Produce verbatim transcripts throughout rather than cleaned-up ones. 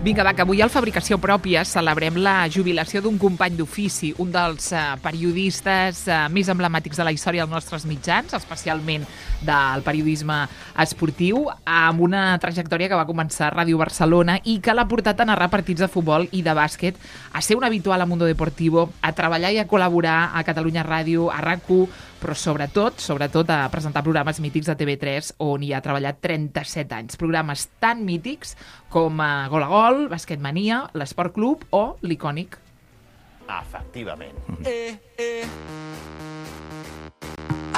Vinga, va, que avui al Fabricació Pròpia celebrem la jubilació d'un company d'ofici, un dels uh, periodistes uh, més emblemàtics de la història dels nostres mitjans, especialment del periodisme esportiu, amb una trajectòria que va començar a Ràdio Barcelona i que l'ha portat a narrar partits de futbol i de bàsquet, a ser un habitual a Mundo Deportivo, a treballar i a col·laborar a Catalunya Ràdio, a RAC u, però sobretot, sobretot a presentar programes mítics de T V tres on hi ha treballat trenta-set anys. Programes tan mítics com uh, Gol a Gol, Basquetmania, l'Esport Club o l'icònic. Efectivament. Eh, eh.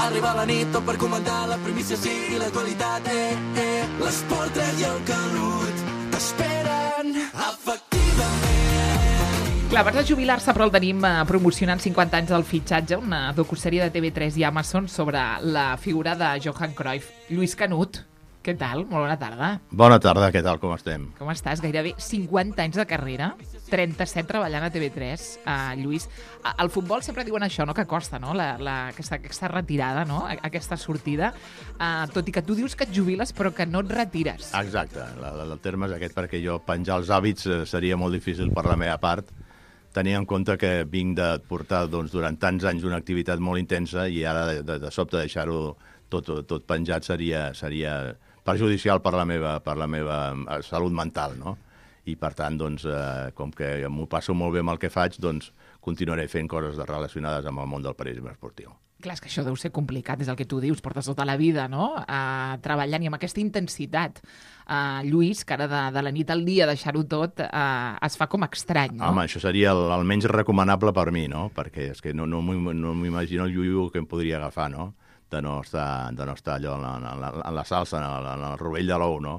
Arriba la nit tot per comentar la primícia sí i l'actualitat. Eh, eh. L'Esport tres i el Canut t'esperen. Efectivament. Clar, abans de jubilar-se, però el tenim eh, promocionant cinquanta anys del fitxatge, una docusèrie de T V tres i Amazon sobre la figura de Johan Cruyff. Lluís Canut, què tal? Molt bona tarda. Bona tarda, què tal, com estem? Com estàs? Gairebé cinquanta anys de carrera, trenta-set treballant a T V tres. Uh, Lluís, al futbol sempre diuen això, no? Que costa, no? La, la, aquesta, aquesta retirada, no? Aquesta sortida. Uh, tot i que tu dius que et jubiles, però que no et retires. Exacte, la, la, el terme és aquest, perquè jo penjar els hàbits eh, seria molt difícil per la meva part, tenint en compte que vinc de portar doncs, durant tants anys una activitat molt intensa i ara de, de, de sobte deixar-ho tot, tot penjat seria, seria perjudicial per la meva, per la meva salut mental, no? I per tant, doncs, eh, com que m'ho passo molt bé amb el que faig, doncs continuaré fent coses relacionades amb el món del periodisme esportiu. Clar, és que això deu ser complicat, és el que tu dius, portes tota la vida, no?, uh, treballant i amb aquesta intensitat. Uh, Lluís, que ara de, de la nit al dia deixar-ho tot uh, es fa com estrany, no? Home, això seria el, el menys recomanable per mi, no? Perquè és que no, no m'imagino el iuiu que em podria agafar, no? De no estar, de no estar allò en la, en la salsa, en, en el rovell de l'ou, no?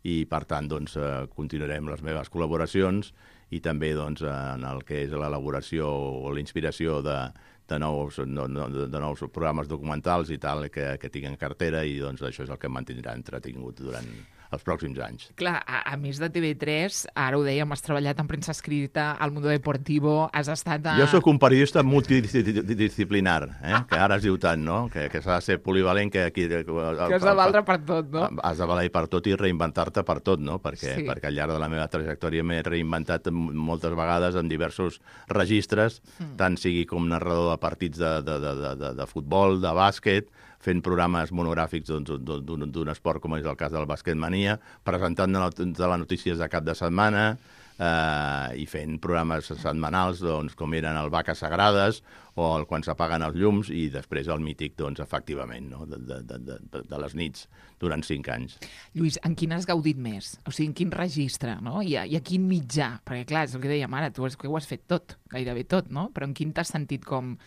I, per tant, doncs, eh, continuarem les meves col·laboracions i també doncs, en el que és l'elaboració o la inspiració de, de, nous, no, no, de nous programes documentals i tal que, que tinc en cartera i doncs, això és el que em mantindrà entretingut durant els pròxims anys. Clar, a, a més de T V tres, ara ho dèiem, has treballat en premsa escrita, al Mundo Deportivo, has estat a... Jo sóc un periodista multidisciplinar, eh? Que ara es diu tant, no? Que, que s'ha de ser polivalent, que... Aquí, que has de valdre per tot, no? Has de valer per tot i reinventar-te per tot, no? Perquè, sí. perquè al llarg de la meva trajectòria m'he reinventat moltes vegades en diversos registres, mm. tant sigui com narrador de partits de, de, de, de, de futbol, de bàsquet, fent programes monogràfics d'un esport com és el cas del Basquetmania, presentant de les notícies de cap de setmana eh, i fent programes setmanals doncs, com eren el Vaques Sagrades o el Quan s'apaguen els llums i després el mític, doncs, efectivament, no? de, de, de, de, de les nits durant cinc anys. Lluís, en quin has gaudit més? O sigui, en quin registre, no? I a, i a quin mitjà? Perquè, clar, és el que dèiem ara, tu has, ho has fet tot, gairebé tot, no? Però en quin t'has sentit com...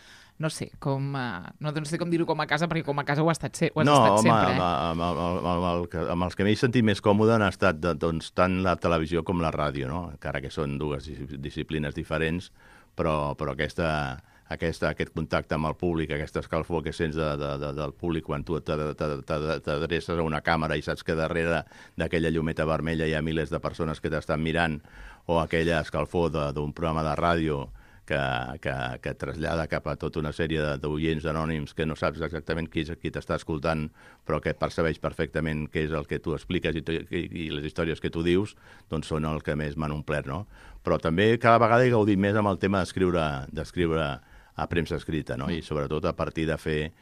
no sé, com, uh, no, no sé com dir-ho com a casa, perquè com a casa ho has estat, se ho has no, estat home, sempre. No, home, amb, amb, amb, amb, amb els que m'he sentit més còmode han estat de, doncs, tant la televisió com la ràdio, no? Encara que són dues disciplines diferents, però, però aquesta, aquesta, aquest contacte amb el públic, aquesta escalfor que sents de, de, de, del públic quan tu t'adreces a una càmera i saps que darrere d'aquella llumeta vermella hi ha milers de persones que t'estan mirant, o aquella escalfor d'un programa de ràdio que, que, que trasllada cap a tota una sèrie d'oients anònims que no saps exactament qui és qui t'està escoltant, però que percebeix perfectament què és el que tu expliques i, i, i les històries que tu dius, doncs són el que més m'han omplert, no? Però també cada vegada he gaudit més amb el tema d'escriure d'escriure a premsa escrita, no? I sobretot a partir de fer eh,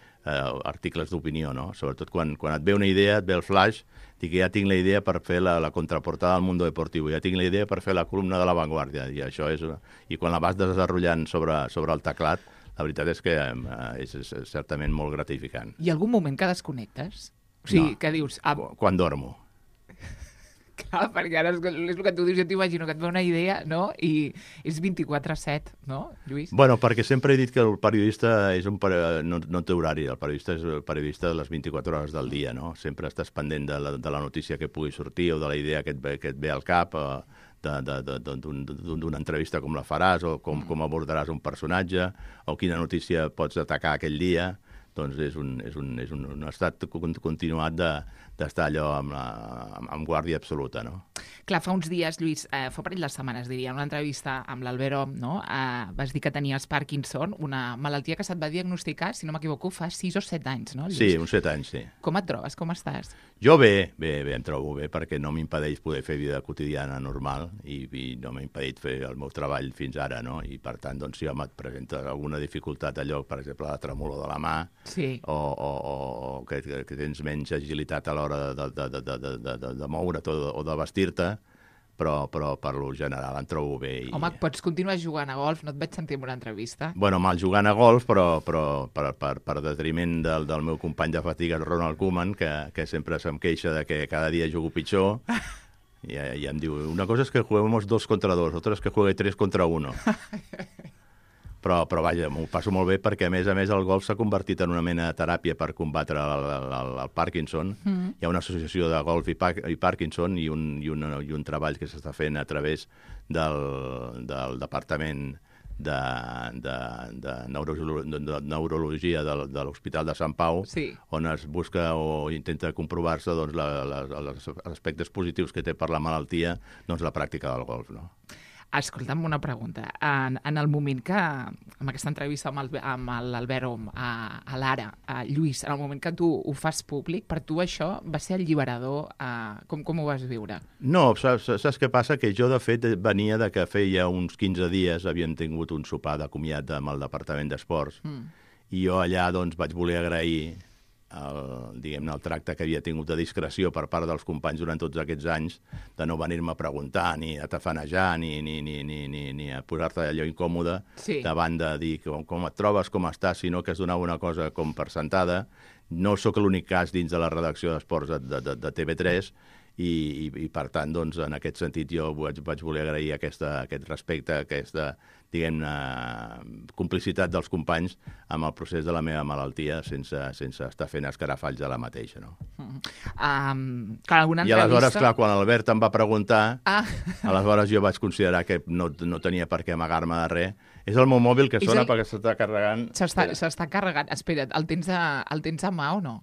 articles d'opinió, no? Sobretot quan, quan et ve una idea, et ve el flash, dic que ja tinc la idea per fer la, la contraportada del Mundo Deportivo, ja tinc la idea per fer la columna de La Vanguardia, i això és... I quan la vas desenrotllant sobre, sobre el teclat, la veritat és que eh, és, és certament molt gratificant. Hi ha algun moment que desconnectes? O sigui, no. Que dius... Ah, quan dormo. Clar, perquè ara és, és el que tu dius, jo t'imagino que et ve una idea, no?, i és vint-i-quatre set, no, Lluís? Bueno, perquè sempre he dit que el periodista és un peri... no, no té horari, el periodista és el periodista de les vint-i-quatre hores del dia, no? Sempre estàs pendent de la, de la notícia que pugui sortir o de la idea que et ve, que et ve al cap, d'una entrevista com la faràs o com, com abordaràs un personatge o quina notícia pots atacar aquell dia. doncs és un, és un, és un, un estat continuat de, d'estar allò amb, la, amb, amb guàrdia absoluta, no? Clar, fa uns dies, Lluís, eh, fa parell de setmanes, diria, en una entrevista amb l'Albert Om, no? Eh, vas dir que tenies Parkinson, una malaltia que se't va diagnosticar, si no m'equivoco, fa sis o set anys, no, Lluís? Sí, uns set anys, sí. Com et trobes? Com estàs? Jo bé, bé, bé, em trobo bé, perquè no m'impedeix poder fer vida quotidiana normal i, i no m'ha impedit fer el meu treball fins ara, no? I per tant, doncs, si home, et presenta alguna dificultat allò, per exemple, la tremolor de la mà, sí. o, o, o que, que tens menys agilitat a l'hora de, de, de, de, de, de, de, de moure't o de, o de vestir-te, però, però per lo general em trobo bé. I... Home, pots continuar jugant a golf? No et vaig sentir en una entrevista. Bueno, mal jugant a golf, però, però per, per, per detriment del, del meu company de fatigues, Ronald Koeman, que, que sempre se'm queixa de que cada dia jugo pitjor, i, i em diu, una cosa és que juguemos dos contra dos, otra és que juegue tres contra uno. Però, però vaja, m'ho passo molt bé perquè, a més a més, el golf s'ha convertit en una mena de teràpia per combatre el, el, el Parkinson. Mm. Hi ha una associació de golf i, pa i Parkinson i un, i, un, i un treball que s'està fent a través del, del Departament de, de, de, neuro, de, de Neurologia de, de l'Hospital de Sant Pau, sí. on es busca o intenta comprovar-se doncs, la, la, els aspectes positius que té per la malaltia doncs, la pràctica del golf, no? Escolta'm una pregunta. En, en el moment que, amb aquesta entrevista amb, el, amb l'Albert Om a, a l'Ara, a Lluís, en el moment que tu ho fas públic, per tu això va ser alliberador? A, com, com ho vas viure? No, saps, saps què passa? Que jo, de fet, venia de que feia uns quinze dies havíem tingut un sopar de comiat amb el Departament d'Esports mm. i jo allà doncs, vaig voler agrair el, diguem-ne, el tracte que havia tingut de discreció per part dels companys durant tots aquests anys, de no venir-me a preguntar, ni a tafanejar, ni, ni, ni, ni, ni, ni a posar-te allò incòmode, sí. davant de dir com, com et trobes, com estàs, sinó que es donava una cosa com per sentada. No sóc l'únic cas dins de la redacció d'esports de, de, de T V tres, i, i, i per tant, doncs, en aquest sentit, jo vaig, vaig voler agrair aquesta, aquest respecte, aquesta, diguem-ne, complicitat dels companys amb el procés de la meva malaltia sense, sense estar fent escarafalls de la mateixa, no? Mm. Um, clar, alguna I aleshores, clar, quan l'Albert em va preguntar, ah. aleshores jo vaig considerar que no, no tenia per què amagar-me de res. És el meu mòbil que sona el... perquè s'està carregant. S'està carregant. Espera't, el tens, a, el tens a mà o no?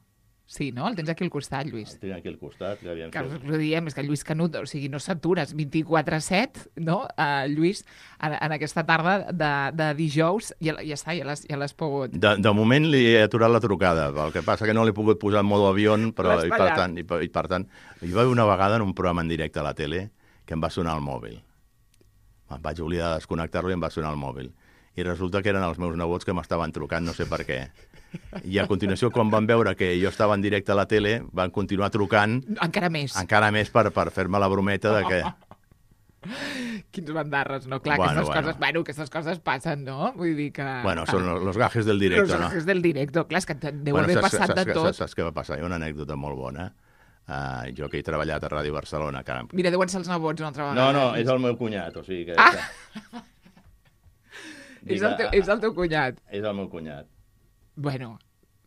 Sí, no? El tens aquí al costat, Lluís. El tinc aquí al costat. Ja que us ho diem, és que Lluís Canut, o sigui, no s'atures vint-i-quatre set, no? Uh, Lluís, en, en aquesta tarda de, de dijous, ja, ja està, ja l'has ja pogut... De, de moment li he aturat la trucada, el que passa que no l'he pogut posar en modo avió, però i per, tant, i, i per tant, hi va haver una vegada en un programa en directe a la tele que em va sonar el mòbil. Em vaig oblidar de desconnectar-lo i em va sonar el mòbil. I resulta que eren els meus nebots que m'estaven trucant, no sé per què. I a continuació, quan van veure que jo estava en directe a la tele, van continuar trucant... Encara més. Encara més per, per fer-me la brometa de que... Quins bandarres, no? Clar, bueno, aquestes, bueno. Coses, bueno, aquestes coses passen, no? Vull dir que... Bueno, són los gajes del directo, los no? Los gajes del directo, clar, és que deu bueno, haver saps, passat saps, de tot. Saps, saps què va passar? Hi ha una anècdota molt bona. Uh, jo que he treballat a Ràdio Barcelona... Que... Mira, deuen ser els nebots una altra vegada. No, no, és el meu cunyat, o sigui que... Ah! És el, teu, és el teu cunyat. És el meu cunyat. Bueno,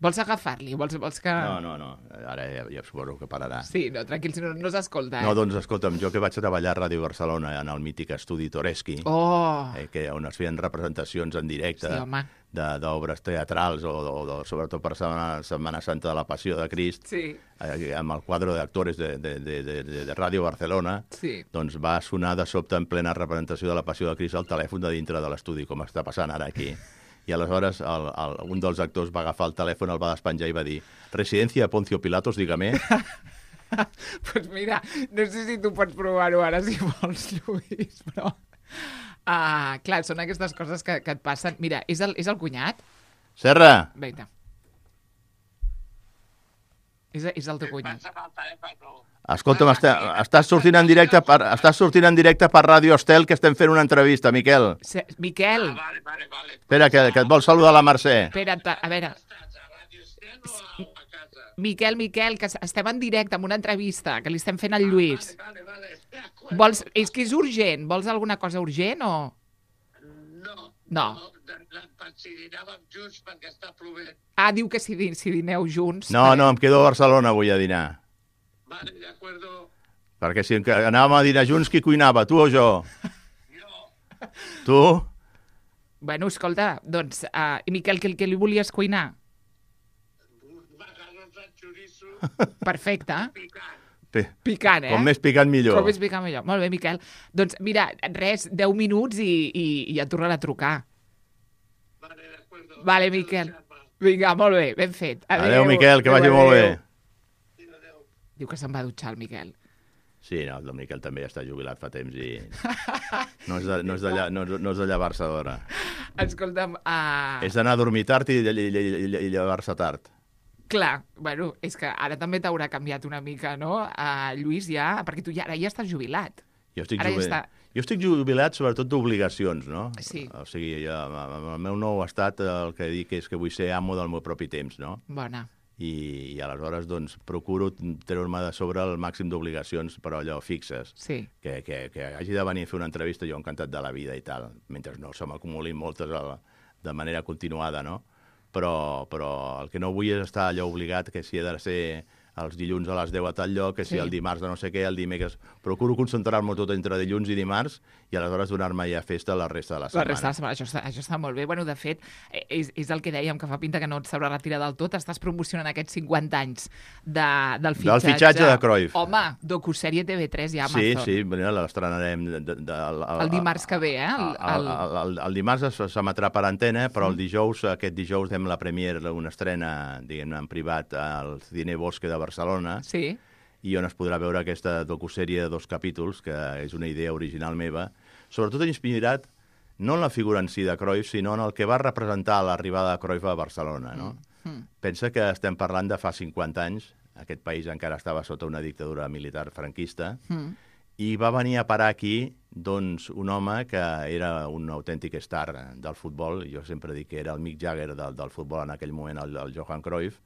vols agafar-li? Vols, vols que... No, no, no. Ara ja, ja suposo que pararà. Sí, no, tranquil, si no, no s'escolta. Eh? No, doncs escolta'm, jo que vaig treballar a Ràdio Barcelona en el mític estudi Toreski, oh. eh, que on es feien representacions en directe sí, d'obres teatrals o, o, o sobretot per Setmana, Setmana Santa de la Passió de Crist, sí. eh, amb el quadre d'actors de, de, de, de, de Ràdio Barcelona, sí. doncs va sonar de sobte en plena representació de la Passió de Crist el telèfon de dintre de l'estudi, com està passant ara aquí. I aleshores el, el, un dels actors va agafar el telèfon, el va despenjar i va dir «Residencia de Poncio Pilatos, dígame». Pues mira, no sé si tu pots provar-ho ara si vols, Lluís, però... Uh, clar, són aquestes coses que, que et passen. Mira, és el, és el cunyat? Serra! Vinga. És, és el teu cunyat. Escolta'm, està, estàs sortint en directe per, estàs sortint en directe per Ràdio Estel, que estem fent una entrevista, Miquel. Se, Miquel. Ah, vale, vale, vale. Espera, que, que et vol saludar la Mercè. Espera't, a veure... Miquel, Miquel, que estem en directe amb una entrevista que li estem fent al Lluís. Ah, vale, vale, vale. Vols, és que és urgent. Vols alguna cosa urgent o...? No. No. no si dinàvem junts perquè està plovent. Ah, diu que si, si dineu junts... No, no, em quedo a Barcelona avui a dinar. Vale, de acuerdo. Perquè si anàvem a dinar junts, qui cuinava, tu o jo? Jo. Tu? Bueno, escolta, doncs, uh, i Miquel, què, què li volies cuinar? intenso, Perfecte. picant. Pe- Picant, eh? Com més picant, millor. Com més picant, millor. Molt bé, Miquel. Doncs mira, res, deu minuts i, i, i et tornen a trucar. Vale, d'acord. Vale, Miquel. Vinga, molt bé, ben fet. Adéu, Miquel, que vagi molt bé. Diu que se'n va dutxar el Miquel. Sí, no, el Miquel també ja està jubilat fa temps i no és de, no és de, lla- no, no és de llevar-se d'hora. Escolta'm, uh... És d'anar a dormir tard i, i, i, i, i llevar-se tard. clar, bueno, és que ara també t'haurà canviat una mica, no? Uh, Lluís, ja, perquè tu ja, ara ja estàs jubilat. Jo estic, Ara ja jubilat, està. jo estic jubilat sobretot d'obligacions, no? Sí. O sigui, jo, amb el meu nou estat el que dic és que vull ser amo del meu propi temps, no? Bona. I, i aleshores doncs, procuro treure-me de sobre el màxim d'obligacions, però allò fixes. Sí. Que, que, que hagi de venir a fer una entrevista, jo encantat de la vida i tal, mentre no se m'acumulin moltes a la, de manera continuada, no? Però, però el que no vull és estar allò obligat que si he de ser els dilluns a les deu a tal lloc, que si Sí. el dimarts de no sé què, el dimecres... Procuro concentrar-me tot entre dilluns i dimarts i aleshores donar-me ja festa la resta de la La setmana. resta de la setmana, això està, això està molt bé. Bueno, de fet, eh, és, és el que dèiem, que fa pinta que no et sabrà retirar del tot. Estàs promocionant aquests cinquanta anys de, del fitxatge. Del fitxatge de Cruyff. Home, docusèrie T V tres ja, Sí, Amazon. sí, bueno, l'estrenarem... De, de, de, el, El dimarts que ve, eh? El, El, el, el, el dimarts es- s'emetrà per antena, però el dijous, aquest dijous, fem la premiere, una estrena, diguem en privat, al Cine Bosque de Barcelona, Sí. i on es podrà veure aquesta docusèrie de dos capítols, que és una idea original meva, sobretot inspirat no en la figura en si de Cruyff, sinó en el que va representar l'arribada de Cruyff a Barcelona, no? Mm. Pensa que estem parlant de fa cinquanta anys, aquest país encara estava sota una dictadura militar franquista, Mm. i va venir a parar aquí doncs, un home que era un autèntic star del futbol. Jo sempre dic que era el Mick Jagger del, del futbol en aquell moment, el, el Johan Cruyff,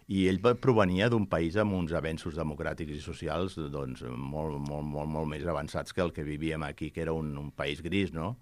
i ell va- provenia d'un país amb uns avenços democràtics i socials doncs, molt, molt, molt, molt més avançats que el que vivíem aquí, que era un, un país gris, no?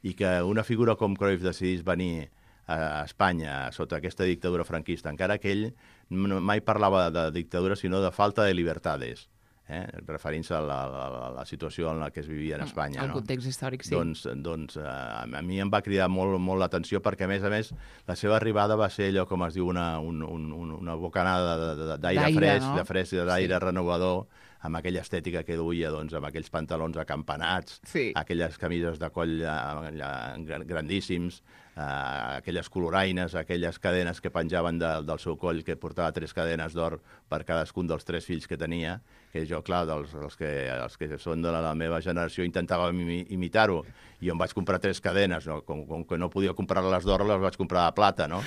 I que una figura com Cruyff decidís venir a Espanya sota aquesta dictadura franquista, encara que ell no- mai parlava de dictadura, sinó de falta de libertades, eh? referint-se a la, la, la situació en la que es vivia en Espanya. El no? context històric, sí. Doncs, doncs eh, a a mi em va cridar molt, molt l'atenció perquè, a més a més, la seva arribada va ser allò, com es diu, una, un, un, un- una bocanada de- de- d'aire D'aire, fresc, no? de fresc, d'aire Sí. renovador, amb aquella estètica que duia, doncs, amb aquells pantalons acampanats, Sí. aquelles camises de coll eh, eh, grandíssims, eh, aquelles coloraines, aquelles cadenes que penjaven de, del seu coll, que portava tres cadenes d'or per cadascun dels tres fills que tenia, que jo, clar, dels, els, que, els que són de la, la meva generació intentava imi, imitar-ho, i jo em vaig comprar tres cadenes, no? com, com que no podia comprar-les d'or, les vaig comprar de plata, no?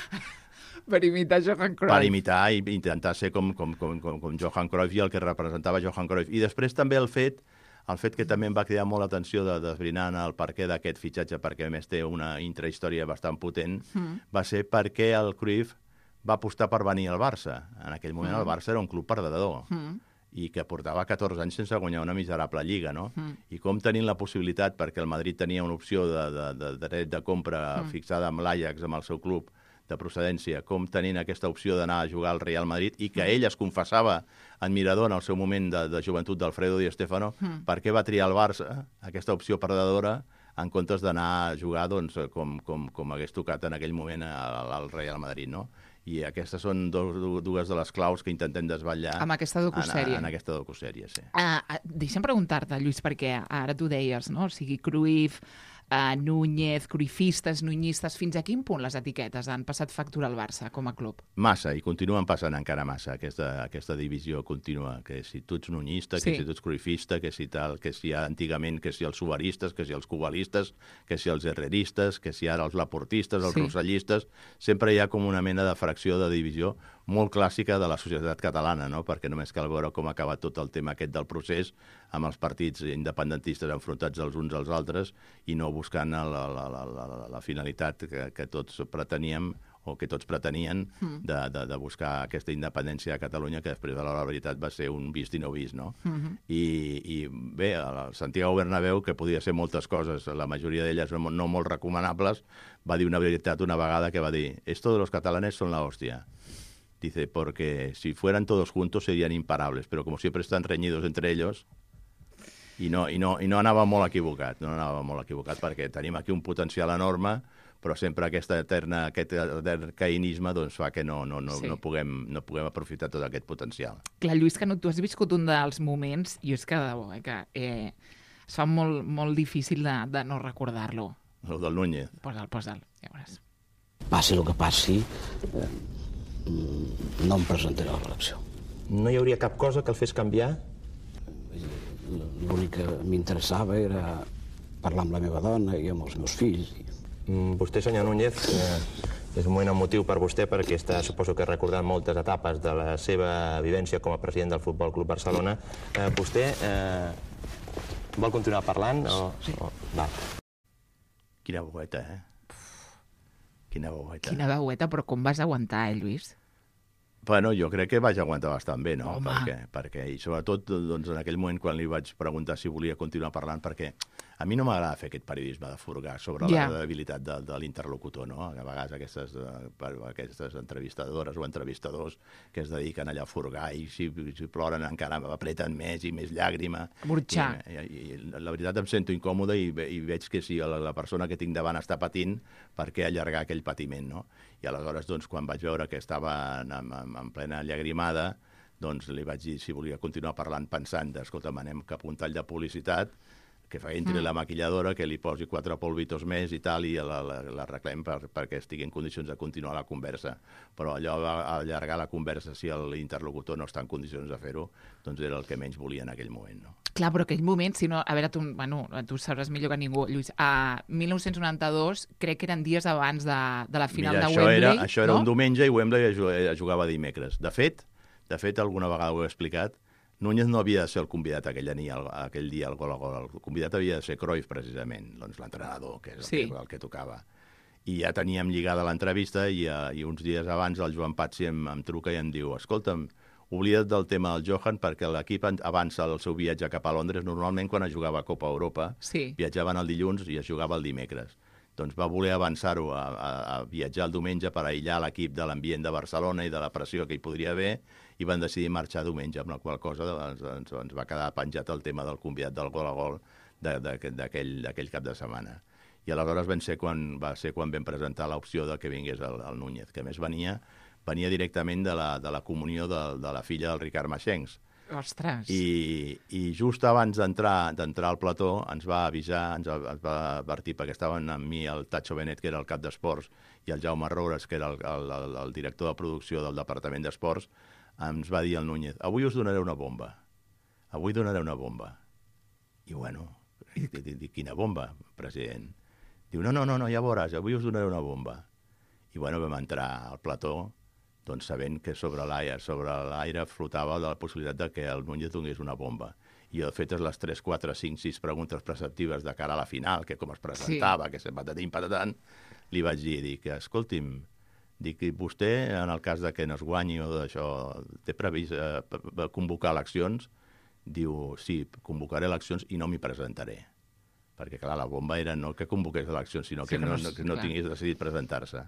Per imitar Johan Cruyff. Per imitar i intentar ser com, com, com, com, com Johan Cruyff i el que representava Johan Cruyff. I després també el fet, el fet que també em va cridar molt l'atenció de desbrinant el perquè d'aquest fitxatge, perquè a més té una intrahistòria bastant potent, mm. va ser perquè el Cruyff va apostar per venir al Barça. En aquell moment mm. el Barça era un club perdedor. Mm. i que portava catorze anys sense guanyar una miserable lliga, no? Mm. I com tenint la possibilitat, perquè el Madrid tenia una opció de, de, de, de dret de compra mm. fixada amb l'Ajax, amb el seu club de procedència, com tenint aquesta opció d'anar a jugar al Real Madrid, i que ell es confessava admirador en el seu moment de, de joventut d'Alfredo Di Stéfano, mm. per què va triar el Barça, aquesta opció perdedora, en comptes d'anar a jugar doncs, com, com, com hagués tocat en aquell moment al, al Real Madrid, no? I aquestes són dos, dues de les claus que intentem desvetllar amb aquesta docusèrie. En, en aquesta docusèrie, sí. Uh, deixa'm preguntar-te, Lluís, perquè ara tu deies, no? O sigui, Cruyff, uh, Núñez, cruifistes, nuñistes, fins a quin punt les etiquetes han passat factura al Barça com a club? Massa, i continuen passant encara massa, aquesta, aquesta divisió contínua, que si tu ets nuñista, sí. que si tu ets cruifista, que si tal, que si antigament, que si els subaristes, que si els cubalistes, que si els herreristes, que si ara els laportistes, els sí. rosellistes, sempre hi ha com una mena de fracció de divisió molt clàssica de la societat catalana, no? Perquè només cal veure com ha acabat tot el tema aquest del procés amb els partits independentistes enfrontats els uns als altres i no buscant la, la, la, la, la finalitat que, que tots preteníem o que tots pretenien de, de, de buscar aquesta independència de Catalunya, que després de la veritat va ser un vist i no vist, no? Uh-huh. I, I bé, el Santiago Bernabéu, que podia ser moltes coses, la majoria d'elles no, no molt recomanables, va dir una veritat una vegada que va dir «Esto de los catalanes son la hostia». Dice, porque si fueran todos juntos serían imparables, pero como siempre están reñidos entre ellos, i no, i no, i no anava molt equivocat, no anava molt equivocat, perquè tenim aquí un potencial enorme, però sempre aquesta eterna, aquest etern caïnisme doncs, fa que no, no, no, Sí. no, puguem, no puguem aprofitar tot aquest potencial. Clar, Lluís, que no, tu has viscut un dels moments, i és que, de debò, eh, que eh, es fa molt, molt difícil de, de no recordar-lo. El del Núñez. Posa'l, posa'l, ja veuràs. Passi el que passi, eh, no em presentaré a l'elecció. No hi hauria cap cosa que el fes canviar? L'únic que m'interessava era parlar amb la meva dona i amb els meus fills. Mm, Vostè, senyor Núñez, eh, és un moment emotiu per vostè perquè està, suposo que recordant moltes etapes de la seva vivència com a president del Futbol Club Barcelona. Eh, vostè eh, vol continuar parlant? O... Sí. O... Va. Quina boeta, eh? Quina boeta. Quina veueta, però com vas aguantar, eh, Lluís? Bueno, jo crec que vaig aguantar bastant bé, no? Home. Perquè, perquè, i sobretot, doncs, en aquell moment, quan li vaig preguntar si volia continuar parlant, perquè a mi no m'agrada fer aquest periodisme de furgar sobre Ja. la debilitat de, de l'interlocutor, no? A vegades aquestes, eh, per- aquestes entrevistadores o entrevistadors que es dediquen allà a furgar i si, si ploren encara apreten més i més llàgrima. Burxar. I, i, i la veritat em sento incòmode i, ve- i veig que si la, la persona que tinc davant està patint, per què allargar aquell patiment, no? I aleshores, doncs, quan vaig veure que estava en, en, en plena llagrimada, doncs li vaig dir si volia continuar parlant pensant, escolta, anem cap a un tall de publicitat, que fa entri mm. la maquilladora, que li posi quatre polvitos més i tal, i la, la, la reclem per, perquè estigui en condicions de continuar la conversa. Però allò va allargar la conversa si l'interlocutor no està en condicions de fer-ho, doncs era el que menys volia en aquell moment, no? Clar, però aquell moment, si no... A veure, tu, bueno, tu sabràs millor que ningú, Lluís. A mil nou-cents noranta-dos, crec que eren dies abans de, de la final Mira, de això Wembley, era, això era no? un diumenge i Wembley es ju- es jugava dimecres. De fet, de fet, alguna vegada ho he explicat, Núñez no havia de ser el convidat aquell, dia, aquell dia al gol a gol. El convidat havia de ser Cruyff, precisament, doncs l'entrenador, que és el, Sí. que, el que tocava. I ja teníem lligada l'entrevista i, uh, i uns dies abans el Joan Patsi em, em truca i em diu escolta'm, oblida't del tema del Johan perquè l'equip avança el seu viatge cap a Londres. Normalment quan es jugava a Copa Europa Sí. viatjaven el dilluns i es jugava el dimecres. Doncs va voler avançar-ho a, a, a viatjar el diumenge per aïllar l'equip de l'ambient de Barcelona i de la pressió que hi podria haver i van decidir marxar diumenge, amb la qual cosa ens, ens, ens va quedar penjat el tema del convidat del gol a gol d'aquell cap de setmana. I aleshores van ser quan, va ser quan vam presentar l'opció de que vingués el, el Núñez, que a més venia, venia directament de la, de la comunió de, de la filla del Ricard Maxencs. Ostres. I, i just abans d'entrar d'entrar al plató ens va avisar, ens va, ens va advertir, perquè estaven amb mi el Tacho Benet, que era el cap d'esports, i el Jaume Roures, que era el, el, el, el director de producció del Departament d'Esports, ens va dir el Núñez, avui us donaré una bomba, avui donaré una bomba. I bueno, dic, quina bomba, president? Diu, no, no, no, no, ja veuràs, avui us donaré una bomba. I bueno, vam entrar al plató, doncs sabent que sobre l'aire sobre l'aire flotava la possibilitat de que el Núñez donés una bomba. I jo, fetes les tres, quatre, cinc, sis preguntes preceptives de cara a la final, que com es presentava, sí. que se patatim, patatant, li vaig dir, dic, escolti'm, dic, vostè, en el cas de que no es guanyi o d'això, té previst eh, convocar eleccions? Diu, sí, convocaré eleccions i no m'hi presentaré. Perquè, clar, la bomba era no que convoqués eleccions, sinó Sí, que que no, no- no, que no clar. tingués decidit presentar-se.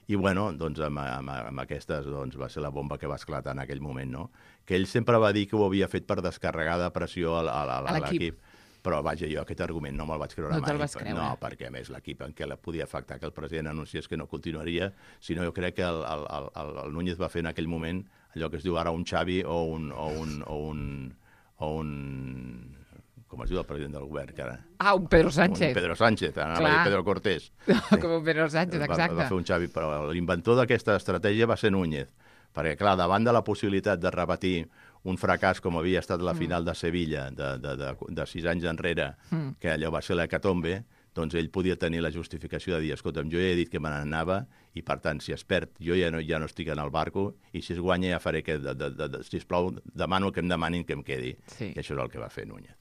I, bueno, doncs, amb, amb, amb aquestes doncs, va ser la bomba que va esclatar en aquell moment, no? Que ell sempre va dir que ho havia fet per descarregar de pressió a, a, a, A a l'equip. l'equip. Però, vaja, jo aquest argument no me'l vaig creure No mai. te'l vas creure. No, perquè, a més, l'equip en què la podia afectar que el president anunciés que no continuaria, sinó jo crec que el, el, el, el Núñez va fer en aquell moment allò que es diu ara un Xavi o un... O un, o un, o un com es diu el president del govern, que ara? Ah, un Pedro Sánchez. Un Pedro Sánchez, anava Clar. a dir Pedro Cortés. Com un Pedro Sánchez, Va, exacte. va fer un Xavi, però l'inventor d'aquesta estratègia va ser Núñez, perquè, clar, davant de la possibilitat de repetir un fracàs com havia estat la final de Sevilla de, de, de, de sis anys enrere, Mm. que allò va ser l'hecatombe, doncs ell podia tenir la justificació de dir, escolta'm, jo ja he dit que me n'anava i, per tant, si es perd, jo ja no, ja no estic en el barco i si es guanya ja faré que, de, de, de, de, sisplau, demano que em demanin que em quedi. Sí. I això és el que va fer Núñez.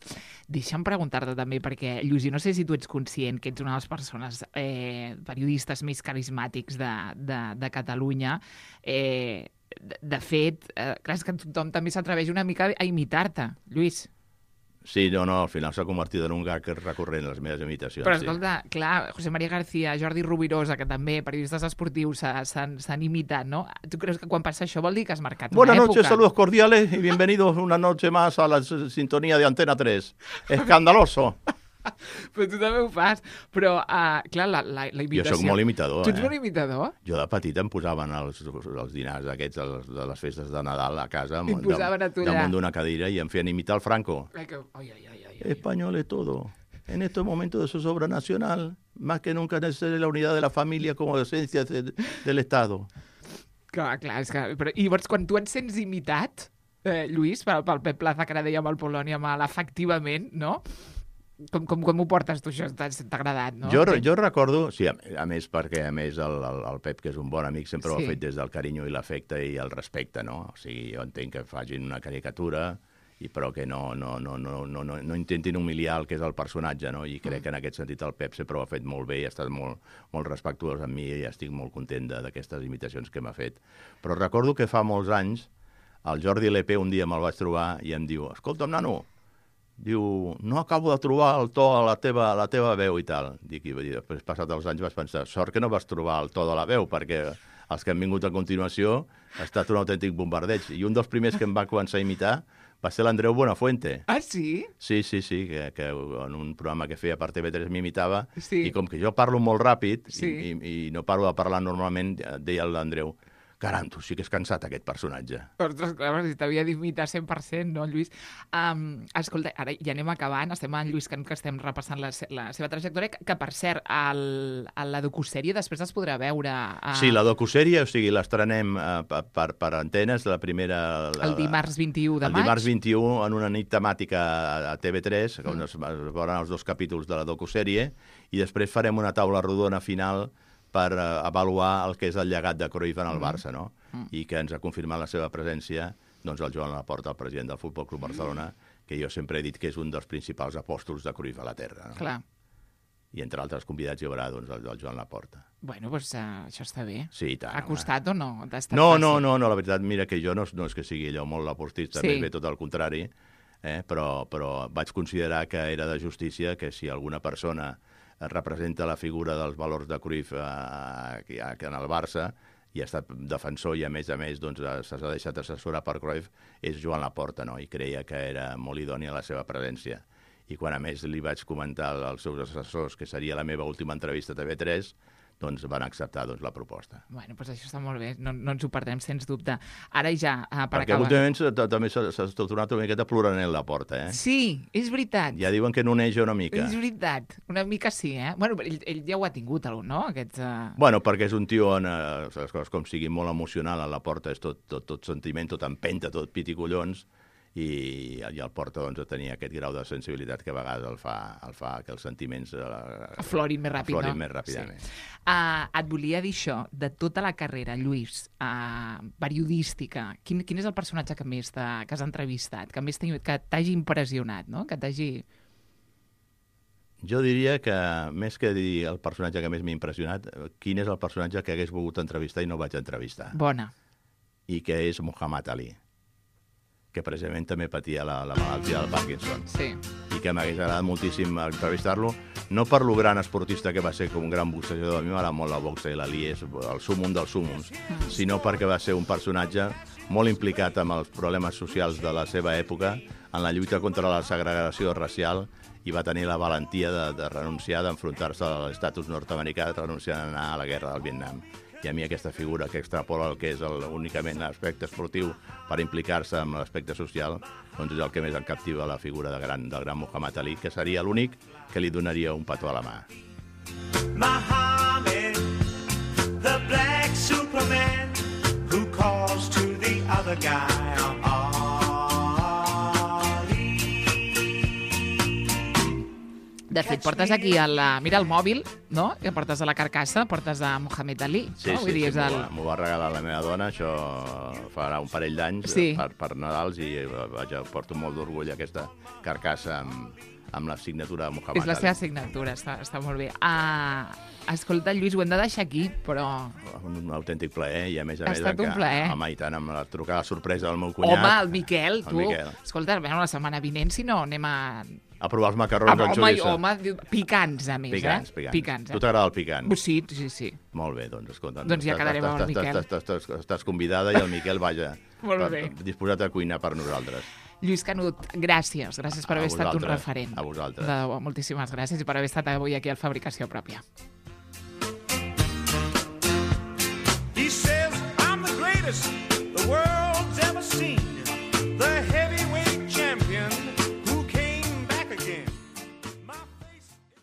Deixa'm preguntar-te també, perquè, Lluís, no sé si tu ets conscient que ets una de les persones eh, periodistes més carismàtics de, de, de Catalunya. Eh, de, de fet, eh, clar, és que tothom també s'atreveix una mica a imitar-te, Lluís. Sí, no, no, al final s'ha convertit en un gag recurrent a les meves imitacions. Però, sí. escolta, clar, José María García, Jordi Rubirosa, que també, periodistes esportius, s'ha- s'han s'han imitat, no? Tu creus que quan passa això vol dir que has marcat Buenas una noches, època? saludos cordiales y bienvenidos una noche más a la s- sintonía de Antena tres. Escandaloso. Però tu també ho fas. Però, uh, clar, la, la, la imitació... Jo sóc molt imitador, Tu ets eh? molt imitador? Jo de petit em posaven els, els dinars aquests els, de les festes de Nadal a casa I posaven a tu allà. damunt d'una cadira i em feien imitar el Franco. Ai, que... ai, ai, ai, ai, ai. Español es todo. En estos momentos de zozobra nacional, más que nunca necesita la unidad de la familia como esencia de, del Estado. Clar, clar, és que... Però, I llavors, quan tu et sents imitat, eh, Lluís, pel, pel Pep Plaza, que ara deia amb el Polònia, amb l'efectivament, no? Com, com, com ho portes tu, això? T'ha t'ha agradat, no? Jo, jo recordo, sí, a, a més perquè a més el, el, el Pep, que és un bon amic, sempre Sí. ho ha fet des del carinyo i l'afecte i el respecte, no? O sigui, jo entenc que facin una caricatura, i però que no, no, no, no, no, no, no intentin humiliar el que és el personatge, no? I crec que en aquest sentit el Pep sempre ho ha fet molt bé i ha estat molt, molt respectuós amb mi i estic molt content de- d'aquestes imitacions que m'ha fet. Però recordo que fa molts anys el Jordi L P un dia me'l vaig trobar i em diu, escolta'm, nano, diu, no acabo de trobar el to a la teva, a la teva veu i tal. Dic, i després, passat els anys, vaig pensar, sort que no vas trobar el to de la veu, perquè els que han vingut a continuació ha estat un autèntic bombardeig. I un dels primers que em va començar a imitar va ser l'Andreu Buenafuente. Ah, sí? Sí, sí, sí, que, que en un programa que feia per T V tres m'imitava, Sí. i com que jo parlo molt ràpid Sí. i, i, i no paro de parlar normalment, deia l'Andreu, caram, tu sí que és cansat aquest personatge. Ostres, clar, si t'havia d'imitar cent per cent, no, Lluís? Um, escolta, ara ja anem acabant, estem amb en Lluís Cant, que estem repassant la, se- la seva trajectòria, que, que per cert, el, a la docusèrie després es podrà veure... A... Sí, la docusèrie, o sigui, l'estrenem uh, per, per, per antenes, la primera... La, El dimarts vint-i-u de el maig. dimarts vint-i-u, en una nit temàtica a T V tres, on es, es veuran els dos capítols de la docusèrie, i després farem una taula rodona final per uh, avaluar el que és el llegat de Cruyff en el Barça, no? Mm. I que ens ha confirmat la seva presència doncs, el Joan Laporta, el president del Futbol Club Barcelona, que jo sempre he dit que és un dels principals apòstols de Cruyff a la Terra. No? Clar. I entre altres convidats hi haurà doncs, el, el Joan Laporta. Bueno, doncs uh, això està bé. Sí, i tant, Ha home. costat o no? Ha estat No, fàcil? no, no, no, la veritat, mira que jo no, no és que sigui allò molt laportista, Sí. sí. més bé tot el contrari, eh? però, però vaig considerar que era de justícia que si alguna persona representa la figura dels valors de Cruyff eh, aquí, aquí en el Barça i ha estat defensor i a més a més doncs, s'ha deixat assessorar per Cruyff, és Joan Laporta, no? I creia que era molt idònia la seva presència. I quan a més li vaig comentar als seus assessors que seria la meva última entrevista a T V tres, doncs van acceptar doncs, la proposta. Bueno, doncs això està molt bé, no, no ens ho perdrem, sens dubte. Ara ja, uh, per Perquè acabar... últimament s'ha- també s'ha s'ha tornat una miqueta ploranet la porta, eh? Sí, és veritat. Ja diuen que noneja una mica. És veritat, una mica sí, eh? Bueno, ell, ell ja ho ha tingut, no? Aquests, uh... Bueno, perquè és un tio on, eh, les coses com sigui molt emocional, a la porta és tot, tot, tot sentiment, tot empenta, tot pit i collons, i, i el porta doncs, a tenir aquest grau de sensibilitat que a vegades el fa, el fa que els sentiments eh, aflorin més ràpid, aflorin no? més ràpidament. Sí. Uh, et volia dir això, de tota la carrera, Lluís, uh, periodística, quin, quin és el personatge que més t'ha- que has entrevistat, que més t'ha- que t'hagi impressionat, no? Que t'hagi... Jo diria que, més que dir el personatge que més m'ha impressionat, eh, quin és el personatge que hagués volgut entrevistar i no vaig entrevistar. Bona. I que és Muhammad Ali, que precisament també patia la, la malaltia del Parkinson. Sí. I que m'hagués agradat moltíssim entrevistar-lo, no per lo gran esportista que va ser com un gran boxejador, a mi m'agrada molt la boxa i l'Ali és el súmum dels súmums, sinó perquè va ser un personatge molt implicat amb els problemes socials de la seva època, en la lluita contra la segregació racial, i va tenir la valentia de, de renunciar, d'enfrontar-se a l'estatus nord-americà, de renunciar a anar a la guerra del Vietnam. I a mi aquesta figura que extrapola el que és el, únicament l'aspecte esportiu per implicar-se amb l'aspecte social, doncs és el que més em captiva la figura de gran, del gran Muhammad Ali, que seria l'únic que li donaria un petó a la mà. Muhammad, the black Superman who calls to the other guy Ali. De fet, portes aquí el, mira el mòbil, no? Que portes a la carcassa, portes a Muhammad Ali. Sí, no? sí, Vull dir, sí, és m'ho el... va, m'ho va regalar la meva dona, això farà un parell d'anys Sí. per, per Nadals, i vaja, porto molt d'orgull aquesta carcassa amb, amb la signatura de Muhammad És la Ali. seva signatura, està, està molt bé. Uh, escolta, Lluís, ho hem de deixar aquí, però... Un autèntic plaer, i a més a Ha més... estat un que- plaer. Home, i tant, amb la trucada sorpresa del meu cunyat. Home, el Miquel, El tu... Miquel. Escolta, bueno, la setmana vinent, si no, anem a... A provar els macarrons Home, amb home, xoriça. home, diu- picants, a més, Picants, eh? picants. Picants, Tu eh? t'agrada el picant? Sí, sí, sí. Molt bé, doncs escolta. Doncs ja estàs- quedarem amb el estàs- Miquel. estàs- estàs- estàs- Estàs convidada i el Miquel, vaja, Molt per- bé. disposat a cuinar per nosaltres. Lluís Canut, gràcies. Gràcies per A haver estat un vosaltres, referent. a vosaltres. De debò, moltíssimes gràcies i per haver estat avui aquí al Fabricació Pròpia. He says I'm the greatest the world's ever seen.